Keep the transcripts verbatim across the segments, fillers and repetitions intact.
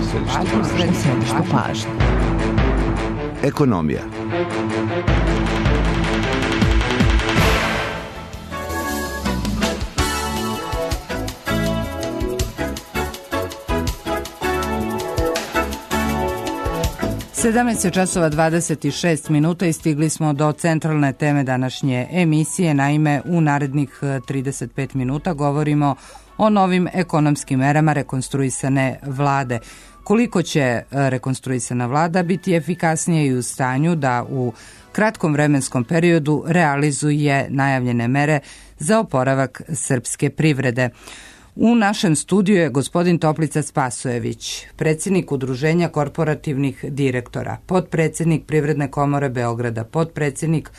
središte pažnje. Ekonomija. sedamnaest časova dvadeset šest minuta i stigli smo do centralne teme današnje emisije. Naime, u narednih trideset pet minuta govorimo o novim ekonomskim merama rekonstruisane vlade. Koliko će rekonstruisana vlada biti efikasnije i u stanju da u kratkom vremenskom periodu realizuje najavljene mere za oporavak srpske privrede? U našem studiju je gospodin Toplica Spasojević, predsjednik Udruženja korporativnih direktora, potpredsjednik Privredne komore Beograda, potpredsjednik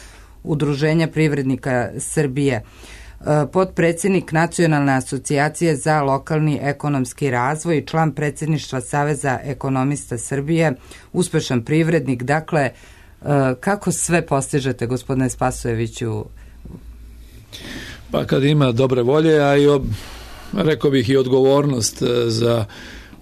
Udruženja privrednika Srbije, potpredsjednik Nacionalne asocijacije za lokalni ekonomski razvoj i član predsjedništva Saveza ekonomista Srbije, uspešan privrednik. Dakle, kako sve postižete, gospodine Spasojeviću? Pa kad ima dobre volje, a i ob... rekao bih i odgovornost za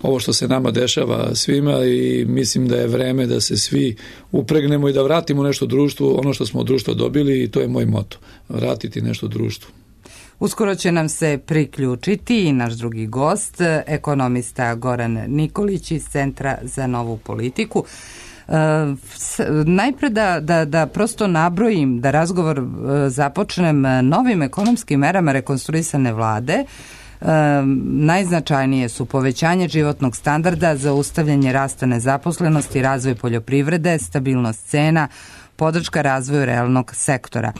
ovo što se nama dešava svima, i mislim da je vreme da se svi upregnemo i da vratimo nešto društvu, ono što smo od društva dobili, i to je moj moto, vratiti nešto društvu. Uskoro će nam se priključiti i naš drugi gost, ekonomista Goran Nikolić iz Centra za novu politiku. Uh, najpre da, da, da prosto nabrojim, da razgovor uh, započnem novim ekonomskim merama rekonstruisane vlade. Uh, najznačajnije su povećanje životnog standarda, zaustavljanje rasta nezaposlenosti, razvoj poljoprivrede, stabilnost cena, podrška razvoju realnog sektora.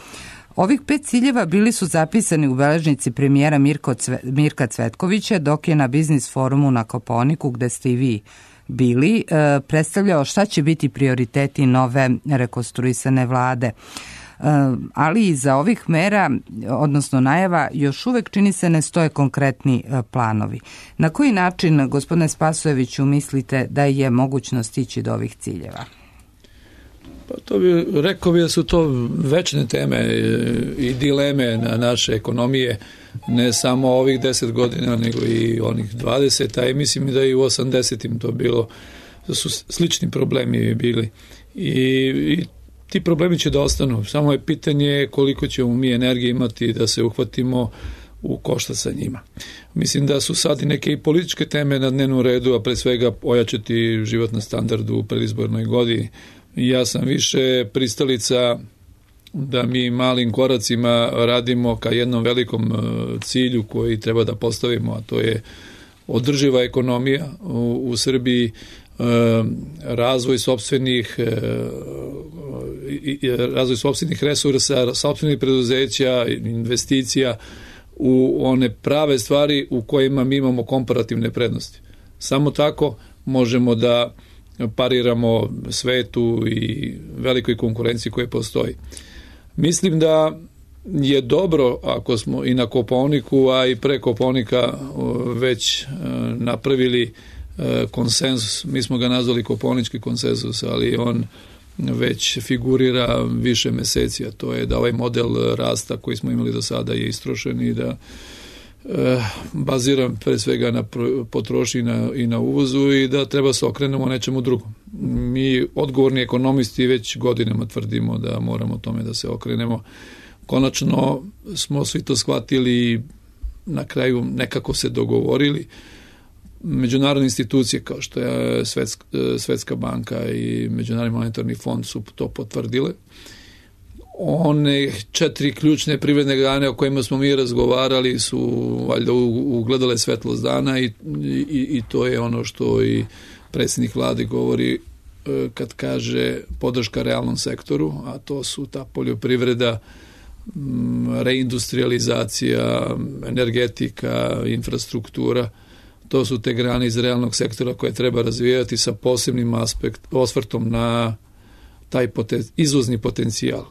Ovih pet ciljeva bili su zapisani u beležnici premijera Mirko Cve, Mirka Cvetkovića, dok je na biznis forumu na Kopaoniku, gde ste i vi bili, predstavljao šta će biti prioriteti nove rekonstruisane vlade. Ali iza ovih mera, odnosno najava, još uvek čini se ne stoje konkretni planovi. Na koji način, gospodine Spasojeviću, mislite da je mogućno stići do ovih ciljeva? Pa to bi, rekao bi da su to večne teme i dileme na naše ekonomije, ne samo ovih deset godina, nego i onih dvadeset, a i mislim da i u osamdesetim to bilo, da su slični problemi bili. I, i ti problemi će da ostanu, samo je pitanje koliko ćemo mi energije imati da se uhvatimo u koštac sa njima. Mislim da su sad i neke i političke teme na dnevnom redu, a pre svega ojačati životni standard u predizbornoj godini. Ja sam više pristalica da mi malim koracima radimo ka jednom velikom cilju koji treba da postavimo, a to je održiva ekonomija u, u Srbiji, razvoj sopstvenih razvoj sopstvenih resursa, sopstvenih preduzeća, investicija u one prave stvari u kojima mi imamo komparativne prednosti. Samo tako možemo da pariramo svetu i velikoj konkurenciji koja postoji. Mislim da je dobro ako smo i na Kopaoniku, a i pre Kopaonika već napravili konsenzus. Mi smo ga nazvali Kopaonički konsenzus, ali on već figurira više meseci, a to je da ovaj model rasta koji smo imali do sada je istrošen i da baziram pre svega na potrošnji i na uvozu i da treba se okrenemo nečemu drugom. Mi, odgovorni ekonomisti, već godinama tvrdimo da moramo tome da se okrenemo. Konačno smo svi to shvatili, na kraju nekako se dogovorili. Međunarodne institucije kao što je Svetska, Svetska banka i Međunarodni monetarni fond su to potvrdile. One četiri ključne privredne grane o kojima smo mi razgovarali su valjda ugledale svetlost dana i, i, i to je ono što i predsjednik vlade govori kad kaže podrška realnom sektoru, a to su ta poljoprivreda, reindustrializacija, energetika, infrastruktura. To su te grane iz realnog sektora koje treba razvijati sa posebnim aspekt, osvrtom na taj poten, izvozni potencijal.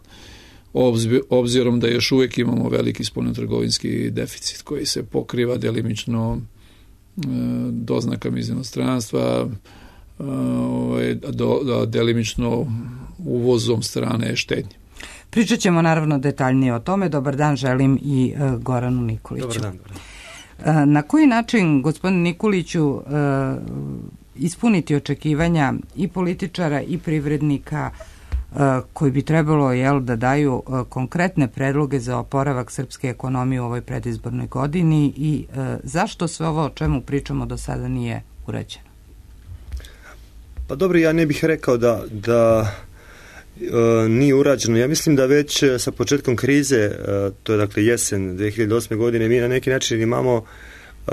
Obzirom da još uvijek imamo veliki spoljnotrgovinski deficit koji se pokriva delimično doznakama iz inostranstva, delimično uvozom strane štednje. Pričat ćemo naravno detaljnije o tome. Dobar dan želim i Goranu Nikoliću. Dobar dan. Dobar dan. Na koji način, gospodine Nikoliću, ispuniti očekivanja i političara i privrednika koji bi trebalo jel, da daju konkretne predloge za oporavak srpske ekonomije u ovoj predizbornoj godini i zašto sve ovo o čemu pričamo do sada nije urađeno? Pa dobro, ja ne bih rekao da, da e, nije urađeno. Ja mislim da već sa početkom krize, e, to je dakle jesen dve hiljade osme godine, mi na neki način imamo e,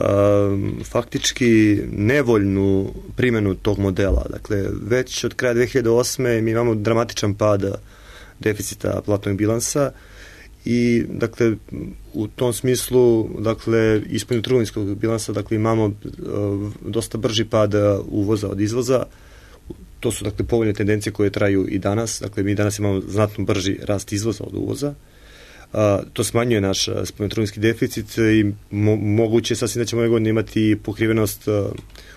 faktički nevoljnu primjenu tog modela. Dakle, već od kraja dve hiljade osme mi imamo dramatičan pad deficita platnog bilansa i dakle u tom smislu dakle ispod trgovinskog bilansa dakle imamo e, dosta brži pad uvoza od izvoza. To su dakle povoljne tendencije koje traju i danas. Dakle, mi danas imamo znatno brži rast izvoza od uvoza. A, to smanjuje naš spoljnotrgovinski deficit i mo- moguće sasvim da ćemo ove godine imati pokrivenost a,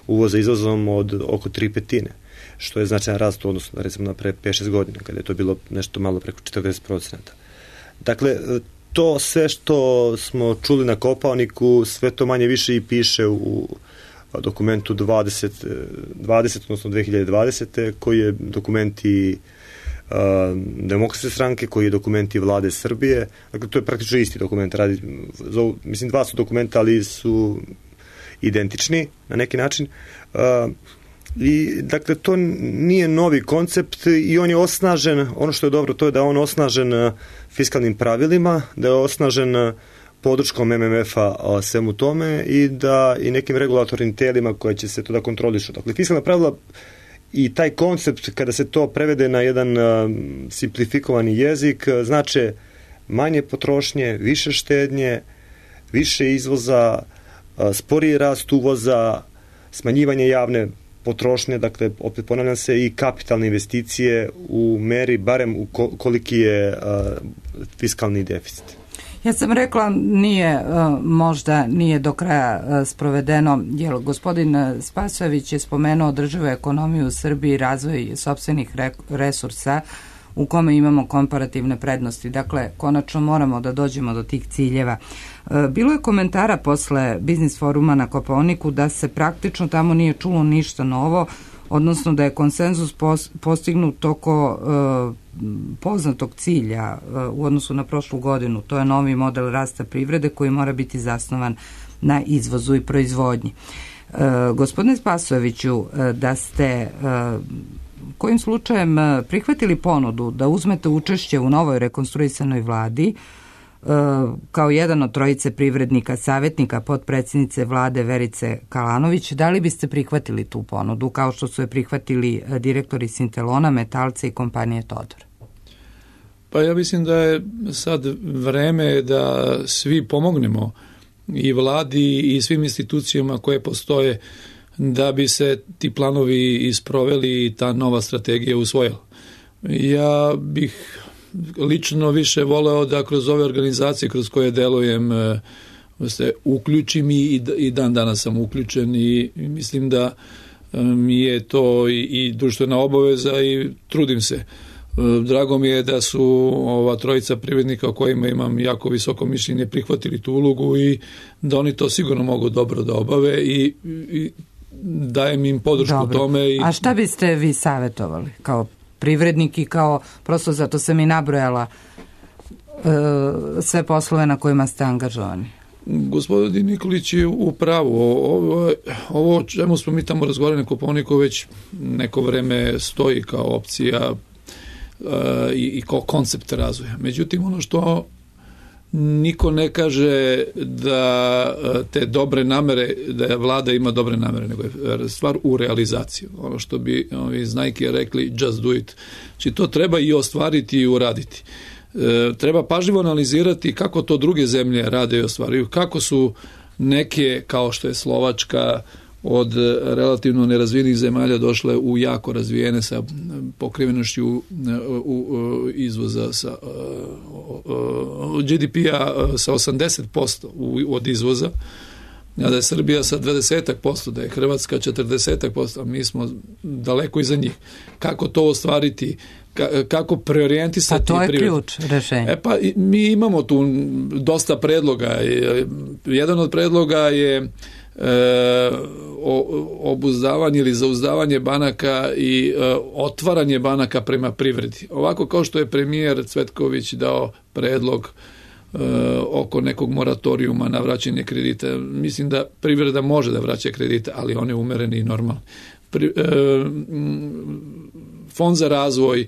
uvoza izvozom od oko tri petine, što je značajan rast u odnosu na recimo na pre pet šest godina, kada je to bilo nešto malo preko četrdeset procenata. Dakle, to sve što smo čuli na Kopaoniku, sve to manje više i piše u dokumentu dvadeset, dvadeset odnosno dve hiljade dvadesete koji je dokumenti uh, Demokratske stranke, koji je dokumenti vlade Srbije. Dakle, to je praktično isti dokument. Radi, zovu, mislim, dva su dokumenta, ali su identični na neki način. Uh, I, dakle, to nije novi koncept i on je osnažen, ono što je dobro, to je da je on osnažen fiskalnim pravilima, da je osnažen podrškom M M F-a svemu tome i da i nekim regulatornim telima koje će se to da kontrolišu. Dakle, fiskalna pravila i taj koncept, kada se to prevede na jedan uh, simplifikovani jezik, znače manje potrošnje, više štednje, više izvoza, uh, sporiji rast uvoza, smanjivanje javne potrošnje, dakle, opet ponavljam se, i kapitalne investicije u meri, barem u koliki je uh, fiskalni deficit. Ja sam rekla, nije, možda nije do kraja sprovedeno, jer gospodin Spasojević je spomenuo održivu ekonomiju u Srbiji i razvoj sopstvenih resursa u kome imamo komparativne prednosti. Dakle, konačno moramo da dođemo do tih ciljeva. Bilo je komentara posle Biznis foruma na Kopaoniku da se praktično tamo nije čulo ništa novo, odnosno da je konsenzus postignut oko poznatog cilja u odnosu na prošlu godinu. To je novi model rasta privrede koji mora biti zasnovan na izvozu i proizvodnji. E, gospodine Spasojeviću, da ste kojim slučajem prihvatili ponudu da uzmete učešće u novoj rekonstruisanoj vladi kao jedan od trojice privrednika, savjetnika potpredsjednice vlade Verice Kalanović, da li biste prihvatili tu ponudu kao što su je prihvatili direktori Sintelona, Metalca i kompanije Todor? Pa ja mislim da je sad vreme da svi pomognemo i vladi i svim institucijama koje postoje da bi se ti planovi isproveli i ta nova strategija usvojila. Ja bih lično više voleo da kroz ove organizacije kroz koje delujem se uključim i, i dan danas sam uključen i mislim da mi je to i, i društvena obaveza i trudim se. Drago mi je da su ova trojica privrednika o kojima imam jako visoko mišljenje prihvatili tu ulogu i da oni to sigurno mogu dobro da obave i, i dajem im podršku dobro. Tome. I... A šta biste vi savjetovali kao privrednik i kao, prosto zato sam i nabrojala e, sve poslove na kojima ste angažovani? Gospodin Nikolić je u pravu. Ovo, ovo o čemu smo mi tamo razgovarali na Kopaoniku već neko vreme stoji kao opcija uh, i, i kao koncept razvoja. Međutim, ono što niko ne kaže da te dobre namere, da vlada ima dobre namere, nego je stvar u realizaciji. Ono što bi ovi iz Nike rekli just do it. Znači to treba i ostvariti i uraditi. E, treba pažljivo analizirati kako to druge zemlje rade i ostvaruju, kako su neke, kao što je Slovačka, od relativno nerazvijenih zemalja došle u jako razvijene sa pokrivenošću u, u, u izvoza sa G D P-a sa osamdeset posto od izvoza, a da je Srbija sa dvadeset posto, da je Hrvatska četrdeset posto, a mi smo daleko iza njih. Kako to ostvariti? Kako preorijentisati? Pa to je privred. Ključ rešenja. E pa mi imamo tu dosta predloga. Jedan od predloga je e, obuzdavanje ili zauzdavanje banaka i e, otvaranje banaka prema privredi. Ovako kao što je premijer Cvetković dao predlog e, oko nekog moratorijuma na vraćanje kredita, mislim da privreda može da vraća kredite, ali on je umereni i normalni. Pri, e, Fond za razvoj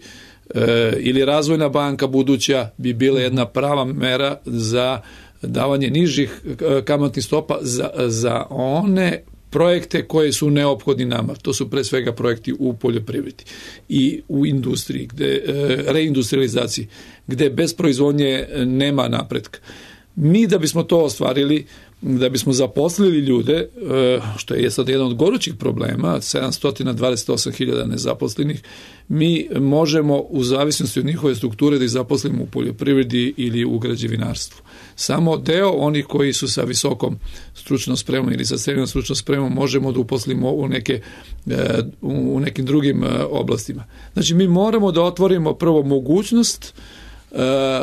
e, ili razvojna banka buduća bi bila jedna prava mera za davanje nižih kamatnih stopa za, za one projekte koje su neophodni nama. To su pre svega projekti u poljoprivredi i u industriji, gde, reindustrializaciji, gde bez proizvodnje nema napretka. Mi da bismo to ostvarili, da bismo zaposlili ljude, što je sad jedan od gorućih problema, sedamsto dvadeset osam hiljada nezaposlenih, mi možemo u zavisnosti od njihove strukture da ih zaposlimo u poljoprivredi ili u građevinarstvu. Samo deo onih koji su sa visokom stručnom spremom ili sa srednjom stručnom spremom možemo da uposlimo u, neke, u nekim drugim oblastima. Znači mi moramo da otvorimo prvo mogućnost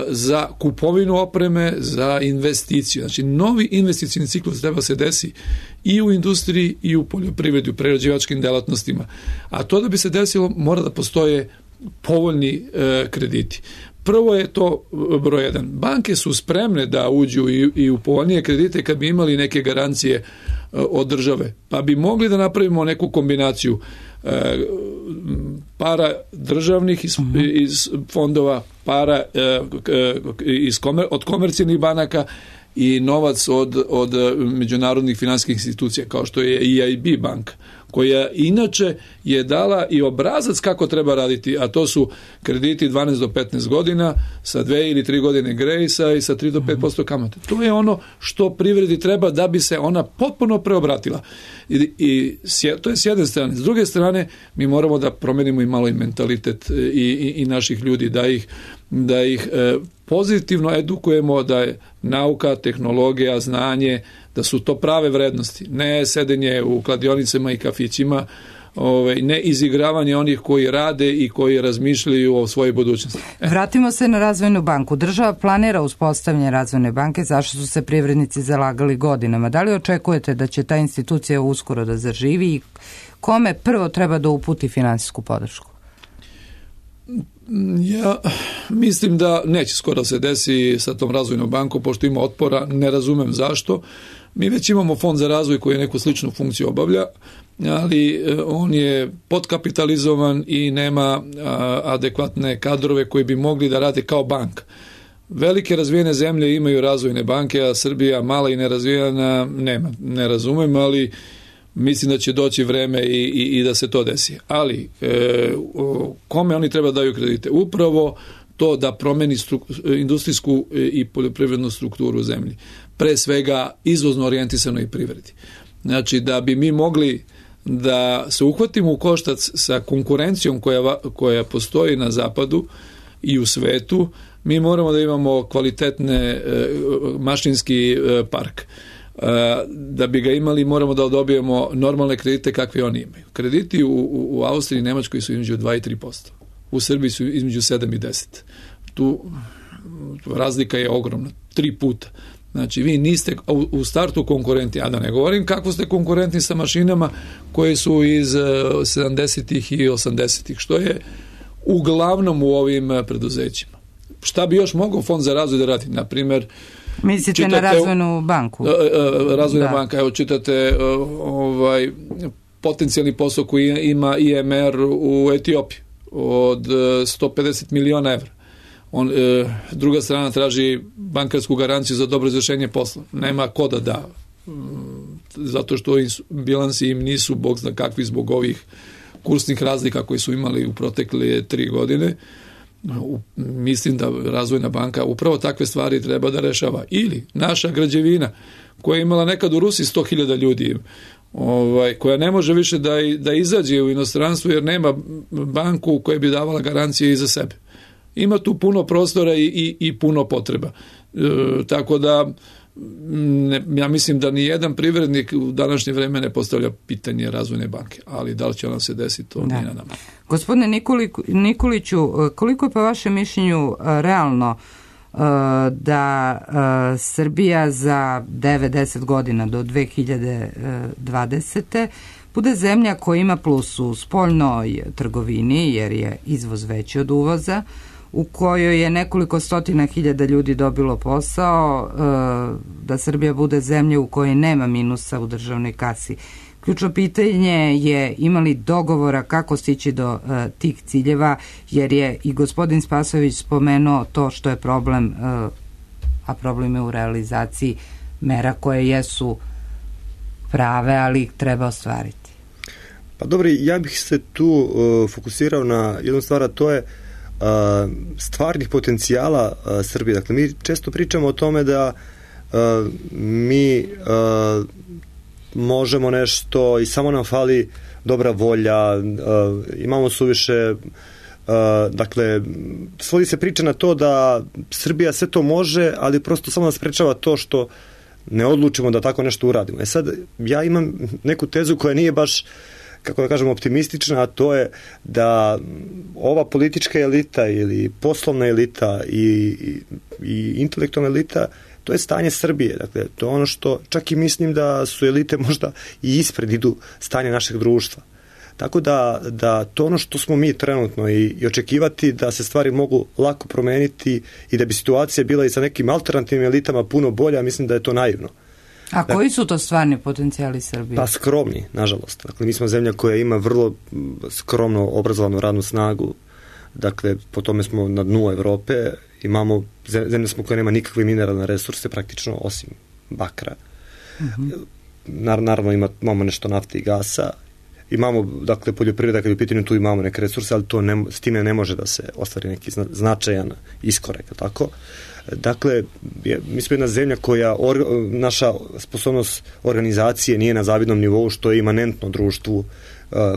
za kupovinu opreme, za investiciju. Znači, novi investicijni ciklus treba se desi i u industriji i u poljoprivredi, u prerađivačkim delatnostima. A to da bi se desilo, mora da postoje povoljni e, krediti. Prvo je to broj jedan. Banke su spremne da uđu i, i u povoljnije kredite kad bi imali neke garancije e, od države. Pa bi mogli da napravimo neku kombinaciju e, para državnih iz, iz fondova, para e, iz komer, od komercijalnih banaka i novac od, od međunarodnih finansijskih institucija, kao što je E I B banka, koja inače je dala i obrazac kako treba raditi, a to su krediti dvanaest do petnaest godina sa dve ili tri godine grejsa i sa tri do pet posto kamate. To je ono što privredi treba da bi se ona potpuno preobratila. I, i to je s jedne strane. S druge strane, mi moramo da promenimo i malo i mentalitet i, i, i naših ljudi, da ih, da ih e, pozitivno edukujemo, da je nauka, tehnologija, znanje, da su to prave vrednosti, ne sedenje u kladionicama i kafićima, ovaj, ne izigravanje onih koji rade i koji razmišljaju o svojoj budućnosti. E. Vratimo se na razvojnu banku. Država planira uspostavljanje razvojne banke, zašto su se privrednici zalagali godinama. Da li očekujete da će ta institucija uskoro da zaživi i kome prvo treba da uputi finansijsku podršku? Ja mislim da neće skoro se desi sa tom razvojnom bankom, pošto ima otpora, ne razumem zašto. Mi već imamo fond za razvoj koji neku sličnu funkciju obavlja, ali on je podkapitalizovan i nema adekvatne kadrove koji bi mogli da rade kao banka. Velike razvijene zemlje imaju razvojne banke, a Srbija mala i nerazvijena nema. Ne razumem, ali mislim da će doći vreme i, i, i da se to desi. Ali e, kome oni treba daju kredite? Upravo to da promeni stru, industrijsku i poljoprivrednu strukturu u zemlji. Pre svega izvozno orijentisanoj privredi. Znači da bi mi mogli da se uhvatimo u koštac sa konkurencijom koja, koja postoji na zapadu i u svetu, mi moramo da imamo kvalitetne e, mašinski e, park. Da bi ga imali moramo da dobijemo normalne kredite kakve oni imaju. Krediti u, u, u Austriji i Nemačkoj su između dva i tri posto. U Srbiji su između sedam i deset. Tu razlika je ogromna. Tri puta. Znači vi niste u, u startu konkurenti, a da ne govorim kako ste konkurentni sa mašinama koje su iz sedamdesetih i osamdesetih, što je uglavnom u ovim preduzećima. Šta bi još mogao Fond za razvoj da radi? Na primjer, mislite čitate, na razvojnu banku? Razvojna da. banka, evo čitate ovaj, potencijalni posao koji ima I M R u Etiopiji od sto pedeset miliona evra. On, druga strana traži bankarsku garanciju za dobro izvršenje posla. Nema ko da da. Zato što bilansi im nisu bog zna kakvi zbog ovih kursnih razlika koji su imali u protekle tri godine. Mislim da razvojna banka upravo takve stvari treba da rešava. Ili naša građevina koja je imala nekad u Rusiji sto hiljada ljudi, ovaj, koja ne može više da, da izađe u inostranstvo jer nema banku koja bi davala garancije i za sebe. Ima tu puno prostora i, i, i puno potreba. E, tako da ne, ja mislim da ni jedan privrednik u današnje vreme ne postavlja pitanje razvojne banke, ali da li će ona se desiti, to nije na nama. Gospodine Nikoliću, koliko je po vašem mišljenju realno da Srbija za devet do deset godina do dve hiljade dvadesete bude zemlja koja ima plus u spoljnoj trgovini, jer je izvoz veći od uvoza, u kojoj je nekoliko stotina hiljada ljudi dobilo posao, da Srbija bude zemlja u kojoj nema minusa u državnoj kasi. Ključno pitanje je imali dogovora kako stići do uh, tih ciljeva, jer je i gospodin Spasojević spomenuo to što je problem, uh, a problem je u realizaciji mera koje jesu prave, ali ih treba ostvariti. Pa dobro, ja bih se tu uh, fokusirao na jednu stvar, a to je uh, stvarnih potencijala uh, Srbije. Dakle, mi često pričamo o tome da uh, mi uh, možemo nešto i samo nam fali dobra volja, uh, imamo suviše, uh, dakle, svodi se priča na to da Srbija sve to može, ali prosto samo nas sprečava to što ne odlučimo da tako nešto uradimo. E sad, ja imam neku tezu koja nije baš, kako da kažem, optimistična, a to je da ova politička elita ili poslovna elita i, i, i intelektualna elita, to je stanje Srbije. Dakle, to je ono što čak i mislim da su elite možda i ispred idu stanje našeg društva. Tako da, da to ono što smo mi trenutno i, i očekivati da se stvari mogu lako promeniti i da bi situacija bila i sa nekim alternativnim elitama puno bolja, mislim da je to naivno. A dakle, koji su to stvarni potencijali Srbije? Pa skromni, nažalost. Dakle, mi smo zemlja koja ima vrlo skromno obrazovanu radnu snagu. Dakle, po tome smo na dnu Evrope. Imamo, zemlja smo koja nema nikakve mineralne resurse, praktično, osim bakra. Uh-huh. Nar, naravno, ima, imamo nešto nafte i gasa. Imamo, dakle, poljoprivreda, kad je u pitanju, tu imamo neke resurse, ali to ne, s time ne može da se ostvari neki značajan iskorak, tako? Dakle, je, mi smo jedna zemlja koja, or, naša sposobnost organizacije nije na zavidnom nivou, što je imanentno društvu uh,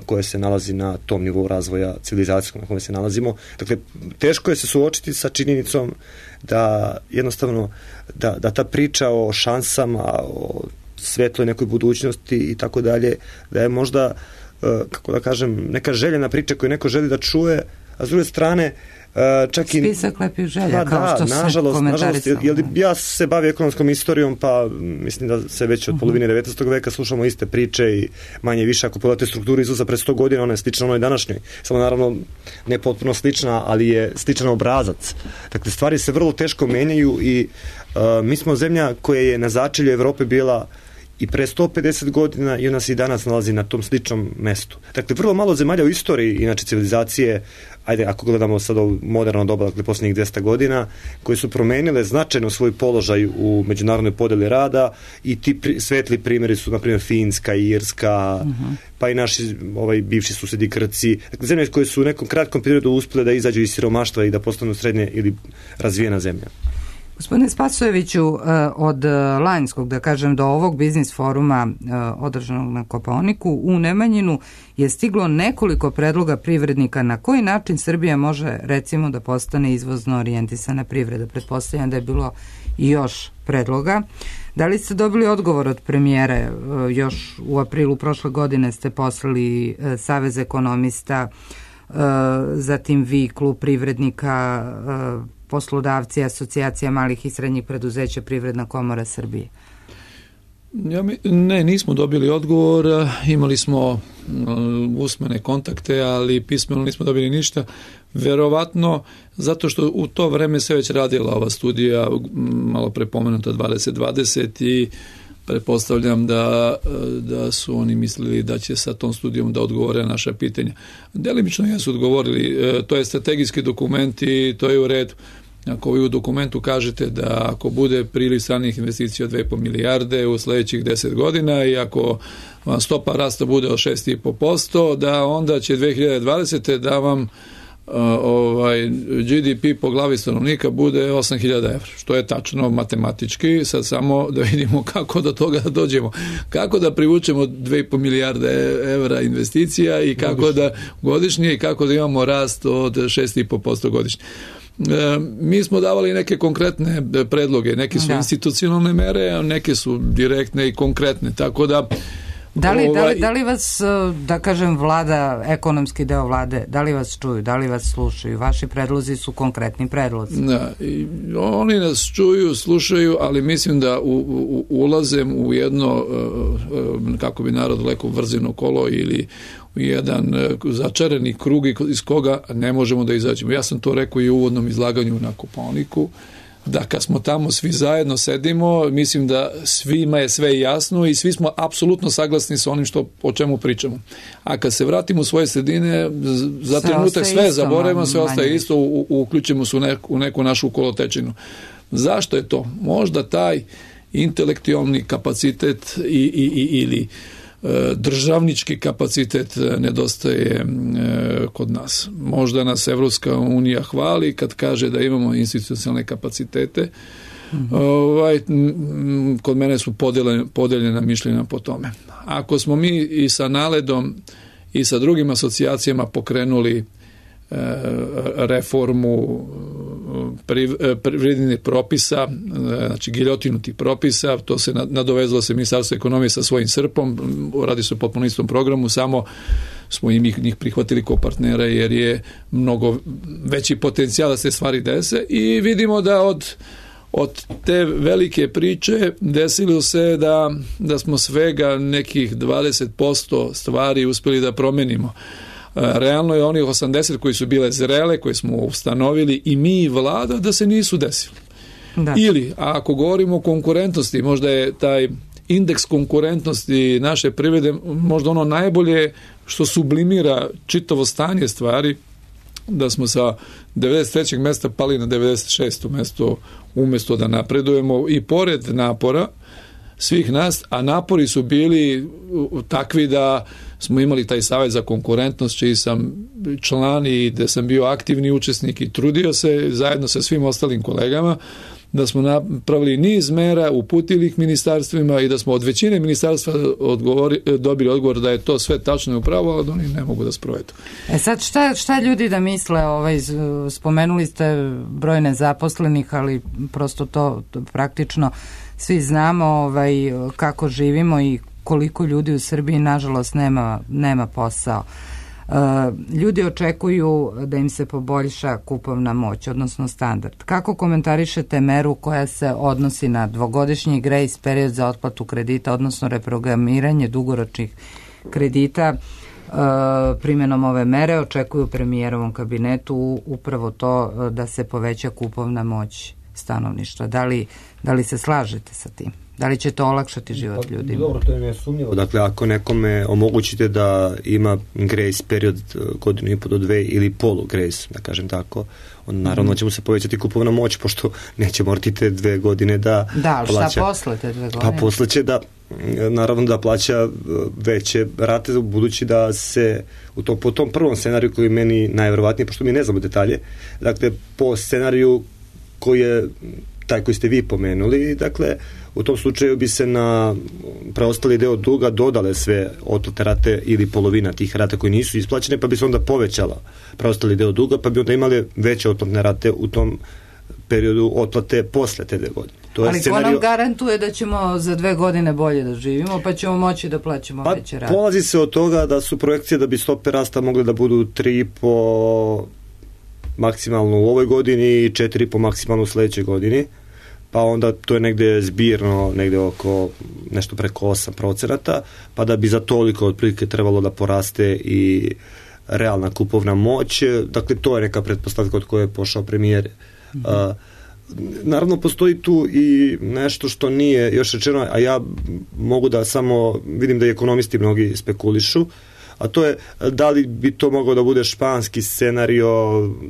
koje se nalazi na tom nivou razvoja civilizacijskog na kome se nalazimo. Dakle, teško je se suočiti sa činjenicom da jednostavno, da, da ta priča o šansama, o svetloj nekoj budućnosti i tako dalje, da je možda, uh, kako da kažem, neka željena priča koju neko želi da čuje, a s druge strane čak i spisak lepih želja, pa, kao da, što se nažalost, nažalost, jer ja se bavim ekonomskom istorijom, pa mislim da se već od uh-huh. polovine devetnaestog veka slušamo iste priče i manje više, ako pogledate strukturu izvoza pred sto godina, ona je slična onoj današnjoj. Samo naravno ne potpuno slična, ali je sličan obrazac. Dakle, stvari se vrlo teško menjaju i uh, mi smo zemlja koja je na začelju Evrope bila i pre sto pedeset godina i ona se i danas nalazi na tom sličnom mestu. Dakle, vrlo malo zemalja u istoriji, inače civilizacije, ajde, ako gledamo sad ovo moderno doba, dakle, posljednjih dvesta godina, koje su promenile značajno svoj položaj u međunarodnoj podeli rada i ti pri, svetli primjeri su, na primjer, Finska, Irska, uh-huh. pa i naši ovaj, bivši susedi Grci. Dakle, zemlje koje su u nekom kratkom periodu uspjele da izađu iz siromaštva i da postanu srednje ili razvijena zemlja. Gospodine Spasojeviću, od lanjskog, da kažem, do ovog biznis foruma održanog na Kopaoniku u Nemanjinu je stiglo nekoliko predloga privrednika na koji način Srbija može, recimo, da postane izvozno orijentisana privreda. Pretpostavljam da je bilo i još predloga. Da li ste dobili odgovor od premijere? Još u aprilu prošle godine ste poslali Savez ekonomista, zatim vi, klub privrednika, poslodavci, asocijacija malih i srednjih preduzeća, Privredna komora Srbije. Ja mi, ne, nismo dobili odgovor, imali smo uh, usmene kontakte, ali pismeno nismo dobili ništa. Verovatno zato što u to vreme se već radila ova studija, malo prepomenuta dvadeset dvadeset, i pretpostavljam da, da su oni mislili da će sa tom studijom da odgovore na naša pitanja. Delimično jesu odgovorili, to je strategijski dokument i to je u redu. Ako vi u dokumentu kažete da ako bude priliv stranih investicija od dve i po milijarde u sledećih deset godina i ako vam stopa rasta bude od šest i po posto, da onda će dve hiljade dvadesete da vam Uh, ovaj, G D P po glavi stanovnika bude osam hiljada evra, što je tačno matematički. Sad samo da vidimo kako do toga dođemo, kako da privučemo dve i po milijarde evra investicija i kako godišnje. da godišnje i kako da imamo rast od šest i po posto godišnje. E, mi smo davali neke konkretne predloge, neke su da. institucionalne mere, a neke su direktne i konkretne, tako da Da li, ovaj, da, li, da li vas, da kažem, vlada, ekonomski deo vlade, da li vas čuju, da li vas slušaju? Vaši predlozi su konkretni predlozi. Da, i oni nas čuju, slušaju, ali mislim da u, u, ulazem u jedno, kako bi narod rekao, vrzino kolo ili u jedan začarani krug iz koga ne možemo da izađemo. Ja sam to rekao i u uvodnom izlaganju na Kopaoniku, da kad smo tamo svi zajedno sedimo, mislim da svima je sve jasno i svi smo apsolutno saglasni sa onim što, o čemu pričamo. A kad se vratimo u svoje sredine, za sve trenutak sve zaboravimo, sve ostaje isto, u, u, uključimo se u neku, u neku našu kolotečinu. Zašto je to? Možda taj intelektualni kapacitet i, i, i, ili državnički kapacitet nedostaje kod nas. Možda nas Evropska unija hvali kad kaže da imamo institucionalne kapacitete. Mm-hmm. Ovaj, kod mene su podeljena, podeljena mišljenja po tome. Ako smo mi i sa Naledom i sa drugim asocijacijama pokrenuli reformu privrednih propisa, znači giljotinu tih propisa, to se nadovezalo se Ministarstvo ekonomije sa svojim srpom, radi se o potpuno istom programu, samo smo im njih prihvatili kao partnera jer je mnogo veći potencijal da se stvari dese i vidimo da od od te velike priče desilo se da, da smo svega nekih dvadeset posto stvari uspjeli da promenimo. Realno je onih osamdeset koji su bile zrele, koje smo ustanovili i mi i vlada, da se nisu desili. Da. Ili, a ako govorimo o konkurentnosti, možda je taj indeks konkurentnosti naše privrede možda ono najbolje što sublimira čitavo stanje stvari, da smo sa devedeset trećeg mesta pali na devedeset šesto mesto umjesto da napredujemo i pored napora svih nas, a napori su bili takvi da smo imali taj savjet za konkurentnost, čiji sam član i da sam bio aktivni učesnik i trudio se zajedno sa svim ostalim kolegama, da smo napravili niz mera, uputili ih ministarstvima i da smo od većine ministarstva odgovori, dobili odgovor da je to sve tačno i upravo, ali da oni ne mogu da sprovedu. E sad, šta, šta ljudi da misle, ovaj, spomenuli ste broj nezaposlenih, ali prosto to, to praktično svi znamo ovaj, kako živimo i koliko ljudi u Srbiji nažalost nema, nema posao. Uh, ljudi očekuju da im se poboljša kupovna moć, odnosno standard. Kako komentarišete meru koja se odnosi na dvogodišnji grejs period za otplatu kredita, odnosno reprogramiranje dugoročnih kredita? Uh, primjenom ove mere očekuju premijerovom kabinetu upravo to da se poveća kupovna moć stanovništva. Da li, da li se slažete sa tim? Da li će to olakšati život pa, ljudima? Dobro, to je nesumnjivo. Dakle, ako nekome omogućite da ima grace period godinu i po do dve ili polu grace, da kažem tako, onda naravno će mu se povećati kupovna moć, pošto neće morati te dve godine da da, plaća. Šta posle te dve godine? Pa posle će da, naravno da plaća veće rate, budući da se u to, po tom prvom scenariju koji je meni najverovatnije, pošto mi ne znamo detalje, dakle, po scenariju koji je taj koji ste vi pomenuli, dakle, u tom slučaju bi se na preostali deo duga dodale sve otplate rate ili polovina tih rata koji nisu isplaćene, pa bi se onda povećala preostali deo duga, pa bi onda imali veće otplatne rate u tom periodu otplate posle te dve godine. To je ali scenario... ko nam garantuje da ćemo za dve godine bolje da živimo, pa ćemo moći da plaćamo pa, veće rate? Polazi se od toga da su projekcije da bi stope rasta mogle da budu tri i po maksimalno u ovoj godini i četiri i po maksimalno u sledećoj godini, pa onda to je negde zbirno, negde oko nešto preko osam procenata, pa da bi za toliko otprilike trebalo da poraste i realna kupovna moć. Dakle, to je neka pretpostavka od koje je pošao premijer. Mm-hmm. A, naravno, postoji tu i nešto što nije još rečeno, a ja mogu da samo vidim da i ekonomisti mnogi spekulišu, a to je da li bi to mogao da bude španski scenario,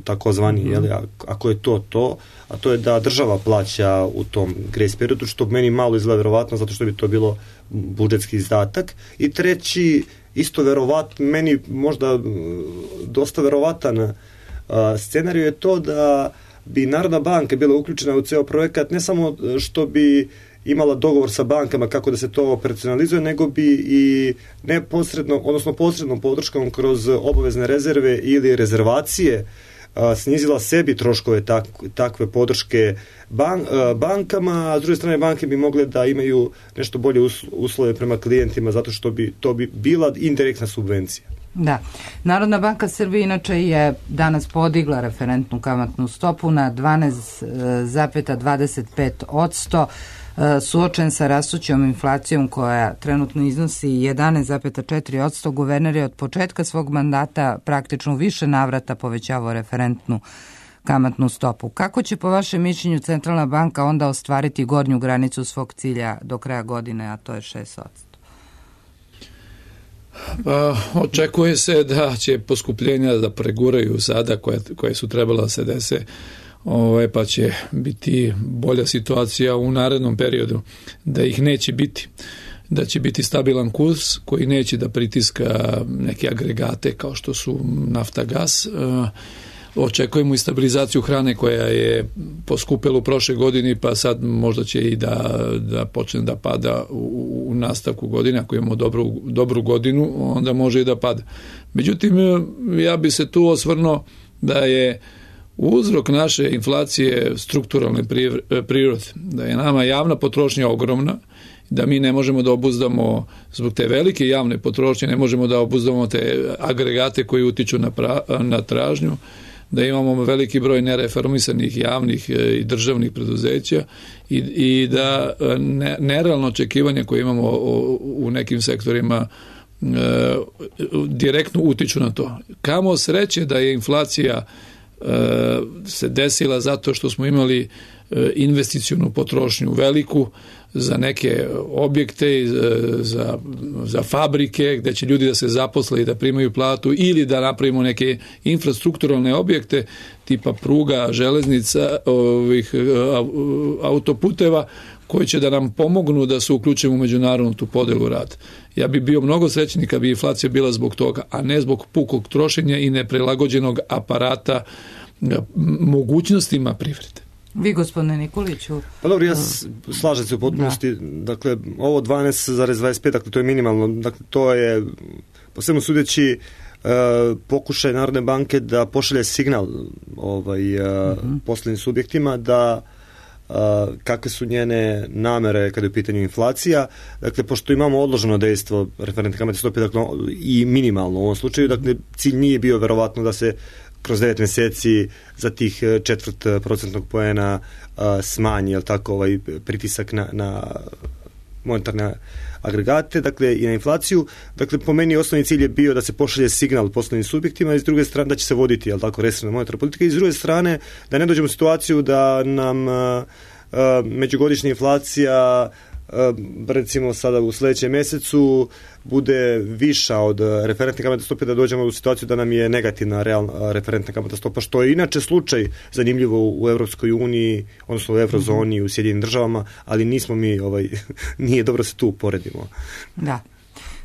takozvani, mm-hmm. jeli, ako je to to, a to je da država plaća u tom grace periodu, što meni malo izgleda verovatno, zato što bi to bilo budžetski izdatak. I treći, isto verovat, meni možda dosta verovatan uh, scenarij je to da bi Narodna banka bila uključena u ceo projekat, ne samo što bi imala dogovor sa bankama kako da se to operacionalizuje, nego bi i neposredno, odnosno posrednom podrškom kroz obavezne rezerve ili rezervacije snizila sebi troškove tak, takve podrške ban, bankama, a s druge strane banke bi mogle da imaju nešto bolje uslove prema klijentima, zato što bi to bi bila indirektna subvencija. Da. Narodna banka Srbije inače je danas podigla referentnu kamatnu stopu na dvanaest zarez dvadeset pet posto, suočen sa rastućom inflacijom koja trenutno iznosi jedanaest zarez četiri posto. Guverner je od početka svog mandata praktično više navrata povećavao referentnu kamatnu stopu. Kako će po vašem mišljenju Centralna banka onda ostvariti gornju granicu svog cilja do kraja godine, a to je šest posto? Pa, očekuje se da će poskupljenja da preguraju sada koje, koje su trebala da se dese, ovaj, pa će biti bolja situacija u narednom periodu, da ih neće biti, da će biti stabilan kurs koji neće da pritiska neke agregate kao što su nafta, gas. Očekujemo i stabilizaciju hrane koja je poskupela u prošle godini, pa sad možda će i da, da počne da pada u, u nastavku godine. Ako imamo dobru, dobru godinu, onda može i da pada. Međutim, ja bi se tu osvrnuo da je uzrok naše inflacije strukturalne prirode, da je nama javna potrošnja ogromna, da mi ne možemo da obuzdamo zbog te velike javne potrošnje, ne možemo da obuzdamo te agregate koji utiču na, pra, na tražnju, da imamo veliki broj nereformisanih javnih i državnih preduzeća i, i da ne, nerealno očekivanje koje imamo u, u nekim sektorima e, direktno utiču na to. Kamo sreće da je inflacija e, se desila zato što smo imali e, investicionu potrošnju veliku za neke objekte, za, za fabrike gde će ljudi da se zaposle i da primaju platu, ili da napravimo neke infrastrukturalne objekte tipa pruga, železnica, ovih autoputeva koji će da nam pomognu da se uključimo u međunarodnu tu podelu rada. Ja bi bio mnogo srećniji kad bi inflacija bila zbog toga, a ne zbog pukog trošenja i neprilagođenog aparata mogućnostima privrede. Vi, gospodine Nikoliću? Pa dobro, ja slažem se u potpunosti. Da. Dakle, ovo dvanaest zarez dvadeset pet, dakle, to je minimalno. Dakle, to je, po svemu sudeći, e, pokušaj Narodne banke da pošalje signal ovaj, e, uh-huh. poslovnim subjektima da e, kakve su njene namere kada je u pitanju inflacija. Dakle, pošto imamo odloženo dejstvo referentne kamatne stope, dakle, i minimalno u ovom slučaju, dakle, cilj nije bio verovatno da se kroz devet mjeseci za tih četvrt procentnog poena smanji, jel tako, ovaj pritisak na, na monetarne agregate, dakle, i na inflaciju. Dakle, po meni osnovni cilj je bio da se pošalje signal poslovnim subjektima i s druge strane da će se voditi, jel tako, restriktivna monetarna politika, i s druge strane da ne dođemo u situaciju da nam a, a, međugodišnja inflacija recimo sada u sljedećem mjesecu bude viša od referentne kamatne stope, da dođemo u situaciju da nam je negativna realna referentna kamatna stopa, što je inače slučaj zanimljivo u Evropskoj uniji, odnosno u Eurozoni i u Sjedinjenim državama, ali nismo mi, ovaj, nije dobro se tu poredimo. Da.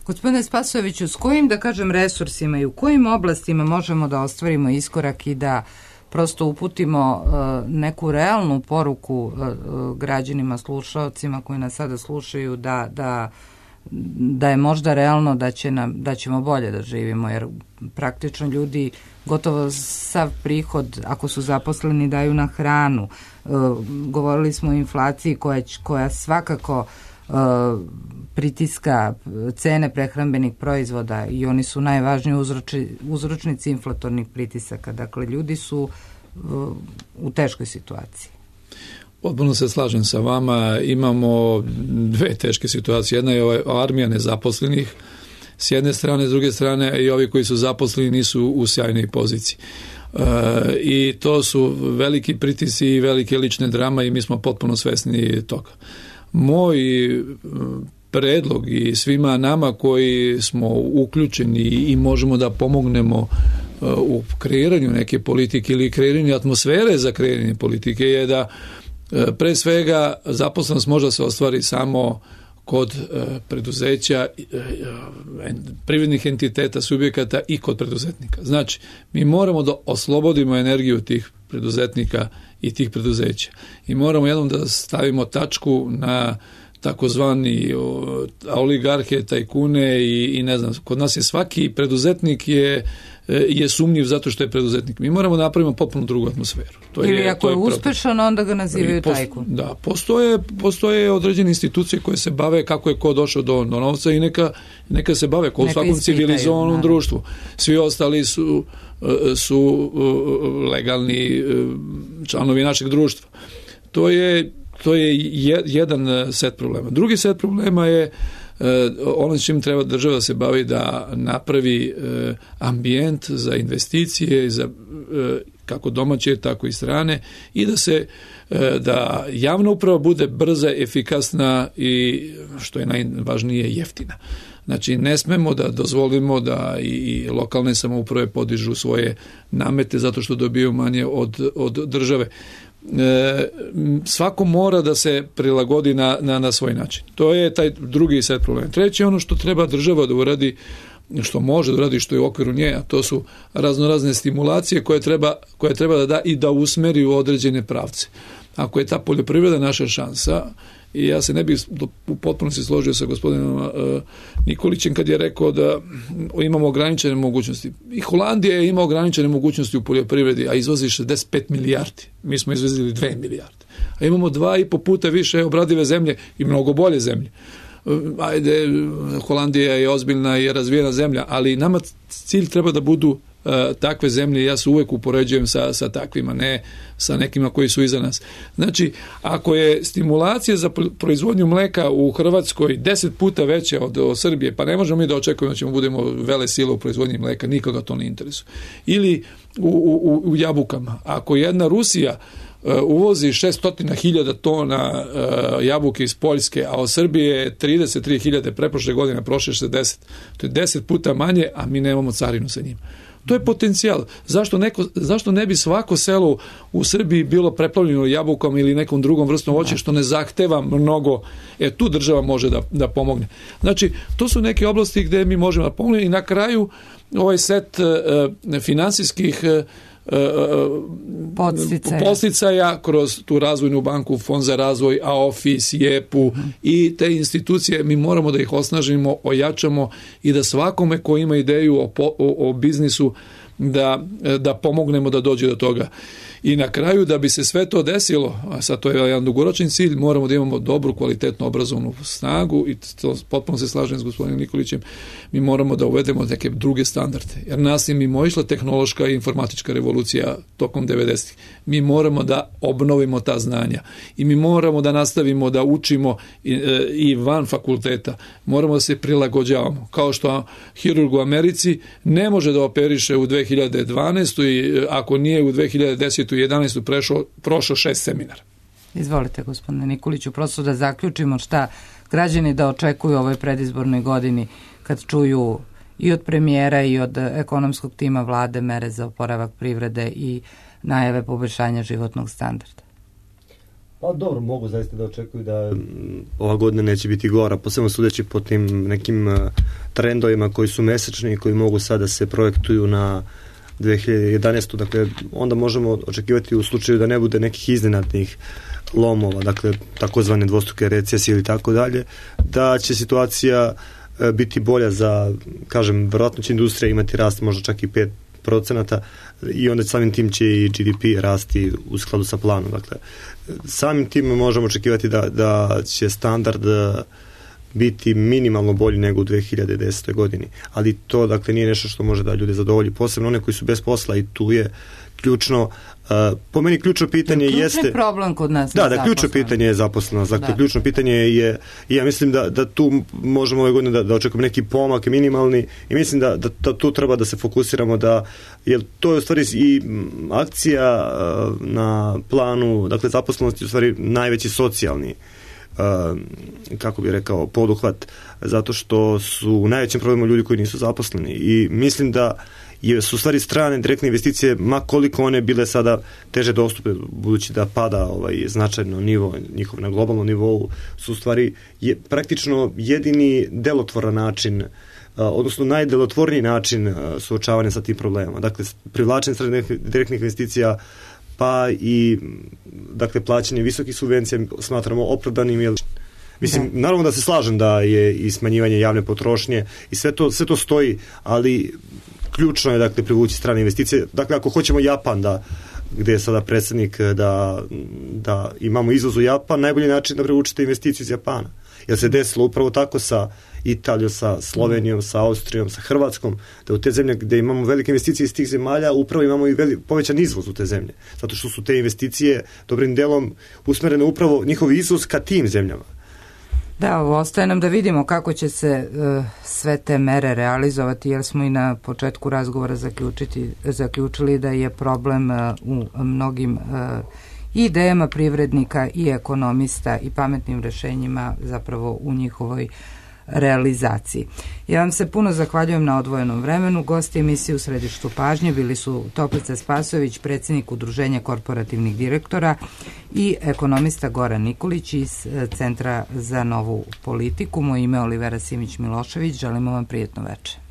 Gospodine Spasojeviću, s kojim, da kažem, resursima i u kojim oblastima možemo da ostvarimo iskorak i da prosto uputimo uh, neku realnu poruku uh, građanima, slušalcima koji nas sada slušaju, da, da, da je možda realno da, će nam, da ćemo bolje da živimo, jer praktično ljudi gotovo sav prihod, ako su zaposleni, daju na hranu. Uh, govorili smo o inflaciji koja, koja svakako uh, pritiska cene prehrambenih proizvoda i oni su najvažniji uzroči, uzročnici inflatornih pritisaka. Dakle, ljudi su uh, u teškoj situaciji. Potpuno se slažem sa vama. Imamo dve teške situacije. Jedna je ova armija nezaposlenih s jedne strane, s druge strane i ovi koji su zaposleni nisu u sjajnoj poziciji. Uh, I to su veliki pritisci i velike lične drama i mi smo potpuno svesni toga. Moj predlog i svima nama koji smo uključeni i možemo da pomognemo u kreiranju neke politike ili kreiranju atmosfere za kreiranje politike je da pre svega zaposlenost može se ostvari samo kod preduzeća, privrednih entiteta, subjekata i kod preduzetnika. Znači, mi moramo da oslobodimo energiju tih preduzetnika i tih preduzeća. I moramo jednom da stavimo tačku na takozvani oligarhe, tajkune i, i ne znam, kod nas je svaki preduzetnik je je sumnjiv zato što je preduzetnik. Mi moramo napraviti potpuno drugu atmosferu. To Ili je, ako to je, je uspešan, onda ga nazivaju post, tajkun. Da, postoje, postoje određene institucije koje se bave kako je ko došao do, do novca i neka, neka se bave kao u svakom civilizovanom društvu. Svi ostali su, su legalni članovi našeg društva. To je, to je jedan set problema. Drugi set problema je ono čim treba država da se bavi da napravi ambijent za investicije, za kako domaće, tako i strane i da se da javna uprava bude brza, efikasna i što je najvažnije jeftina. Znači ne smemo da dozvolimo da i lokalne samouprave podižu svoje namete zato što dobiju manje od, od države. E, svako mora da se prilagodi na, na, na svoj način. To je taj drugi set problema. Treći je ono što treba država da uradi, što može da uradi, što je u okviru nje, a to su raznorazne stimulacije koje treba, koje treba da da i da usmeri u određene pravce. Ako je ta poljoprivreda naša šansa, i ja se ne bih u potpunosti složio sa gospodinom uh, Nikolićem kad je rekao da imamo ograničene mogućnosti. I Holandija ima ograničene mogućnosti u poljoprivredi, a izvozi šezdeset pet milijardi. Mi smo izvezili dve milijarde. A imamo dva i po puta više obradive zemlje i mnogo bolje zemlje. Uh, ajde, Holandija je ozbiljna i razvijena zemlja, ali nama cilj treba da budu Uh, takve zemlje, ja se uvek upoređujem sa, sa takvima, ne sa nekima koji su iza nas. Znači, ako je stimulacija za proizvodnju mleka u Hrvatskoj deset puta veća od, od Srbije, pa ne možemo mi da očekujemo da ćemo budemo vele sile u proizvodnji mleka, nikoga to ne interesuje. Ili u, u, u jabukama. Ako jedna Rusija uh, uvozi šesto hiljada tona uh, jabuke iz Poljske, a od Srbije trideset tri hiljade preprošle godine, prošle šezdeset. To je deset puta manje, a mi nemamo carinu sa njima. To je potencijal. Zašto, neko, zašto ne bi svako selo u Srbiji bilo preplavljeno jabukom ili nekom drugom vrstom voća što ne zahteva mnogo, e tu država može da, da pomogne. Znači, to su neke oblasti gde mi možemo da pomognemo i na kraju ovaj set uh, finansijskih uh, Podsticaja. podsticaja kroz tu razvojnu banku, Fond za razvoj, A O F I S, J E P U mm. i te institucije mi moramo da ih osnažimo, ojačamo i da svakome ko ima ideju o, o, o biznisu da, da pomognemo da dođe do toga. I na kraju da bi se sve to desilo, a sad to je jedan dugoročni cilj, moramo da imamo dobru, kvalitetnu obrazovnu snagu i to potpuno se slažem s gospodinom Nikolićem, mi moramo da uvedemo neke druge standarde. Jer nas je mimo išla tehnološka i informatička revolucija tokom devedesetih. Mi moramo da obnovimo ta znanja i mi moramo da nastavimo da učimo i, i van fakulteta. Moramo da se prilagođavamo. Kao što hirurg u Americi ne može da operiše u dve hiljade dvanaestoj i ako nije u dve hiljade desetoj i jedanaestoj prešao, prošao šest seminara. Izvolite, gospodine Nikoliću, prosto da zaključimo šta građani da očekuju u ovoj predizbornoj godini kad čuju i od premijera i od ekonomskog tima vlade mere za oporavak privrede i najave poboljšanja životnog standarda. Pa dobro, mogu zaista da očekuju da ova godina neće biti gora, posebno sudeći po tim nekim trendovima koji su mesečni i koji mogu sada se projektuju na dve hiljade jedanaestu. Dakle, onda možemo očekivati u slučaju da ne bude nekih iznenadnih lomova, dakle, takozvane dvostruke recesije ili tako dalje, da će situacija biti bolja za, kažem, verovatno će industrija imati rast možda čak i pet procenata i onda samim tim će i G D P rasti u skladu sa planom. Dakle, samim tim možemo očekivati da, da će standard biti minimalno bolji nego u dve hiljade desetoj godini. Ali to, dakle, nije nešto što može da ljude zadovolji. Posebno one koji su bez posla i tu je ključno, uh, po meni ključno pitanje ključni jeste... Ključni problem kod nas da, da, ključno pitanje je zaposlenost. Dakle, da. Ključno pitanje je, i ja mislim da, da tu možemo ove godine da, da očekujemo neki pomak minimalni i mislim da, da, da tu treba da se fokusiramo da, jer to je u stvari i akcija uh, na planu, dakle, zaposlenost je u stvari najveći socijalni Uh, kako bih rekao, poduhvat, zato što su u najvećem problemu ljudi koji nisu zaposleni i mislim da je, su stvari strane direktne investicije, ma koliko one bile sada teže dostupne, budući da pada ovaj značajno nivo njihov na globalnom nivou, su stvari je praktično jedini delotvoran način, uh, odnosno najdelotvorniji način uh, suočavanja sa tim problemama. Dakle, privlačenje stranih direktnih investicija pa i, dakle, plaćanje visokih subvencija smatramo opravdanim, jer Mislim, da. Naravno da se slažem da je i smanjivanje javne potrošnje i sve to, sve to stoji, ali ključno je, dakle, privući strane investicije. Dakle, ako hoćemo Japan, da, gde je sada predsjednik, da, da imamo izvoz u Japan, najbolji način da privučite investiciju iz Japana. Jer se desilo upravo tako sa Italijom, sa Slovenijom, sa Austrijom, sa Hrvatskom, da u te zemlje gde imamo velike investicije iz tih zemalja, upravo imamo i veli, povećan izvoz u te zemlje. Zato što su te investicije dobrim delom usmerene upravo njihov izvoz ka tim zemljama. Da, ostaje nam da vidimo kako će se uh, sve te mere realizovati, jer smo i na početku razgovora zaključiti, zaključili da je problem uh, u mnogim uh, idejama privrednika i ekonomista i pametnim rešenjima zapravo u njihovoj realizaciji. Ja vam se puno zahvaljujem na odvojenom vremenu. Gosti emisije U središtu pažnje bili su Toplica Spasojević, predsjednik Udruženja korporativnih direktora, i ekonomista Goran Nikolić iz Centra za novu politiku. Moje ime je Olivera Simić Milošević. Želimo vam prijetno večer.